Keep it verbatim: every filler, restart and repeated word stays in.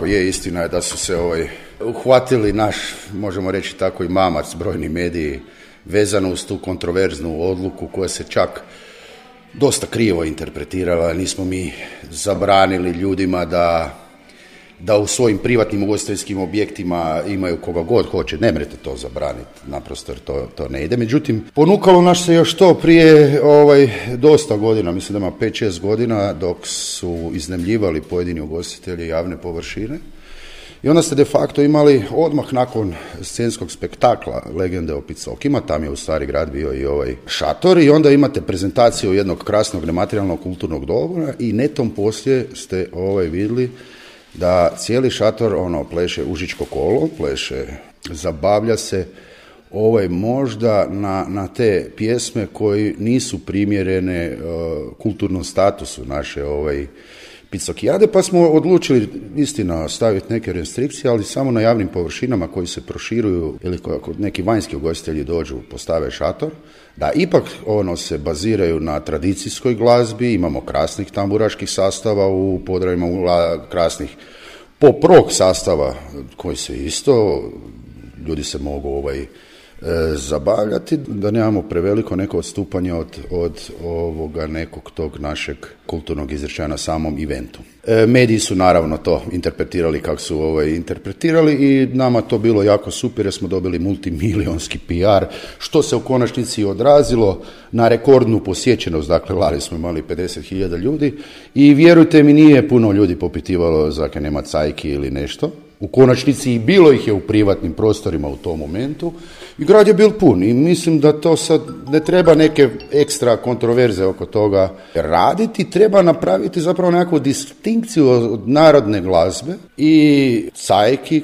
Je, istina je da su se ovaj, uhvatili naš, možemo reći tako i mamac, brojni mediji, vezano uz tu kontroverznu odluku koja se čak dosta krivo interpretirala. Nismo mi zabranili ljudima da, da u svojim privatnim ugostiteljskim objektima imaju koga god hoće. Ne mrete to zabraniti, naprosto jer to, to ne ide. Međutim, ponukalo nas se još to prije ovaj, dosta godina, mislim da ima pet šest godina, dok su iznajmljivali pojedini ugostitelji javne površine. I onda ste de facto imali odmah nakon scenskog spektakla Legende o Picokima, tam je u Stari grad bio i ovaj šator, i onda imate prezentaciju jednog krasnog nematerijalnog kulturnog dobra i netom poslije ste ovaj vidjeli da cijeli šator ono pleše užičko kolo, pleše, zabavlja se ovaj možda na, na te pjesme koji nisu primjerene uh, kulturnom statusu naše ovaj Picokijade, pa smo odlučili istina staviti neke restrikcije, ali samo na javnim površinama koji se proširuju ili ako neki vanjski ugostitelji dođu, postave šator, da ipak ono se baziraju na tradicijskoj glazbi, imamo krasnih tamburaških sastava u Podravima, krasnih pop-rock sastava koji se isto, ljudi se mogu ovaj zabavljati, da nemamo preveliko neko odstupanje od, od ovoga nekog tog našeg kulturnog izričaja na samom eventu. E, mediji su naravno to interpretirali kako su ovaj, interpretirali i nama to bilo jako super jer smo dobili multimilionski P R, što se u konačnici odrazilo na rekordnu posjećenost, dakle lani smo imali pedeset hiljada ljudi i vjerujte mi nije puno ljudi popitivalo zake nema cajki ili nešto. U konačnici i bilo ih je u privatnim prostorima u tom momentu i grad je bil pun i mislim da to sad ne treba neke ekstra kontroverze oko toga raditi, treba napraviti zapravo nekakvu distinkciju od narodne glazbe i cajki